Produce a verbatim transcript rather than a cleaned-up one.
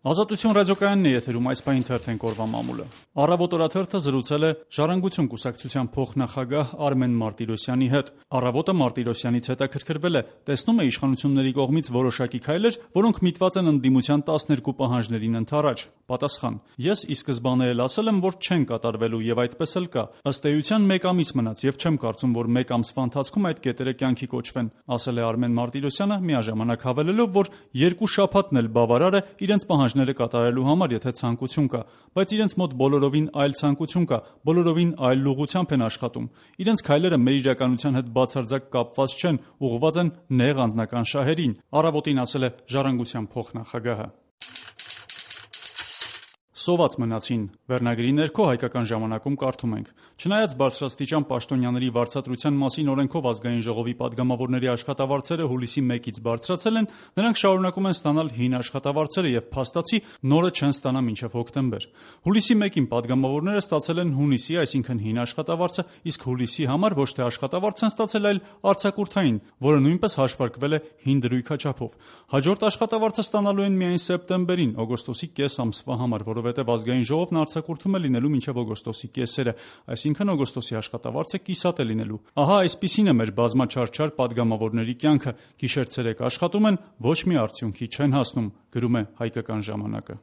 Ազատություն ռադիոկայանն է եթերում, այս պահին թերթենք օրվա մամուլը։ Առավոտ օրաթերթը զրուցել է Ժառանգություն կուսակցության փոխնախագահ Արմեն Մարտիրոսյանի հետ։ Առավոտը Մարտիրոսյանից հետաքրքրվել է, տեսնում է իշխանությունների կողմից որոշակի քայլեր, որոնք միտված են ընդդիմության տասներկու պահանջներին ընդառաջ։ Պատասխան. Ես ի սկզբանե էլ ասել եմ, որ չեն կատարվելու եւ այդպես էլ կա։ Ըստ էության մեկ ամիս մնաց եւ չեմ կարծում, որ մեկ ամսվա ընթացքում այդ կետերը կյանքի կոչվեն, ասել է Արմեն Մարտիրոսյանը, միաժամանակ հավելելով, որ երկու շաբաթն էլ բավարար է իրենց պահանջները կատարելու համար, եթե ցանկություն կա, բայց իրենց մոտ բոլորովին այլ ցանկություն կա, բոլորովին այլ ուղղությամբ են աշխատում։ Իրենց քայլերը մեր իրականության հետ բացարձակ կապված չեն, ուղղված են նեղ անձնական շահերին, Առավոտին ասել է Ժառանգության փոխնախագահը։ Սոված մնացին վերնագրի ներքո Հայկական ժամանակում կարդում ենք. Չնայած բարձրաստիճան պաշտոնյաների վարձատրության մասին օրենքով ազգային ժողովի падգամավորների աշխատավարձերը հուլիսի մեկից բարձրացել են, նրանք շարունակում են ստանալ հին աշխատավարձերը եւ փաստացի նորը չեն ստանա մինչեւ հոկտեմբեր։ Հուլիսի մեկին падգամավորները ստացել են հունիսի, այսինքն հին աշխատավարձը, իսկ հուլիսի համար ոչ թե աշխատավարձ են ստացել, այլ արձակուրդային, որը նույնպես հաշվարկվել է հին դրույքաչափով։ Հաջորդ աշխատավարձը ստանալու են միայն սեպտեմբերին, օգոստոսի կես ամսվա համար, որովհետև ազգային ժողովն արձակուրդում է լինելու մինչև օգոստոսի կեսերը, այսինքն օգոստոսի աշխատավարձը կիսատ է լինելու։ Ահա այսպիսին է մեր բազմաչարչար падգամավորների կյանքը, գիշեր ցերեկ աշխատում են, ոչ մի արդյունքի չեն հասնում, գրում է Հայկական ժամանակը։